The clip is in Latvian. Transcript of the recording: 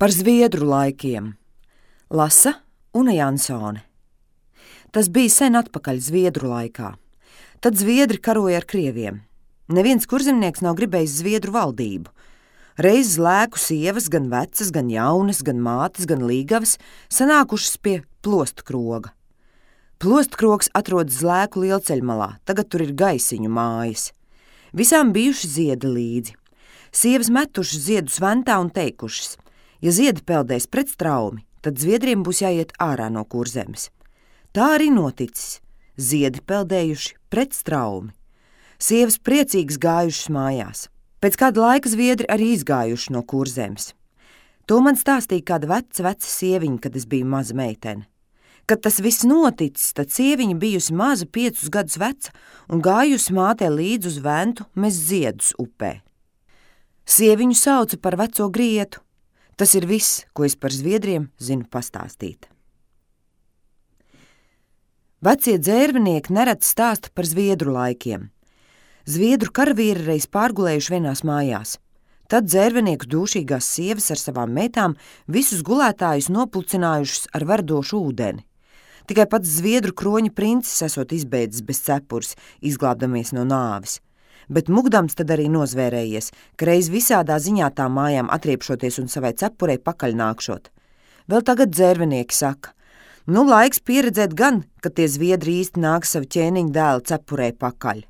Par zviedru laikiem. Lasa Una Jansone. Tas bija sen atpakaļ zviedru laikā. Tad zviedri karoja ar krieviem. Neviens kurzemnieks nav gribējis zviedru valdību. Reiz lēku sievas, gan vecas, gan jaunas, gan mātes, gan līgavas, sanākušas pie Plostkroga. Plostkrogs atrodas Lēku lielceļmalā, tagad tur ir gaisiņu mājas. Visām bijuši ziedi līdzi. Sievas metušas ziedus ventā un teikušas: ja ziedi peldēs pret straumi, tad zviedriem būs jāiet ārā no Kurzemes. Tā arī noticis. Ziedi peldējuši pret straumi. Sievas priecīgas gājušas mājās. Pēc kāda laika zviedri arī izgājuši no Kurzemes. To man stāstīja kāda veca sieviņa, kad es biju maza meitene. Kad tas viss noticis, tad sieviņa bijusi maza 5 gadus veca un gājusi mātei līdz uz ventu mest ziedus upē. Sieviņu sauca par veco grietu. Tas ir viss, ko es par zviedriem zinu pastāstīt. Vecie dzērvinieki nereti stāsta par zviedru laikiem. Zviedru karavīri reiz pārgulējuši vienās mājās. Tad dzērvenieku dūšīgās sievas ar savām meitām visus gulētājus nopulcinājušas ar verdošu ūdeni. Tikai pats zviedru kroņa princis esot izbēdzis bez cepures, izglābdamies no nāves. Bet mugdams tad arī nozvērējies, ka reiz visādā ziņā tām mājām atriepšoties un savai cepurei pakaļnākšot. Vēl tagad dzērvenieki saka: laiks pieredzēt gan, ka tie zviedri īsti nāk savu ķēniņu dēlu cepurei pakaļ.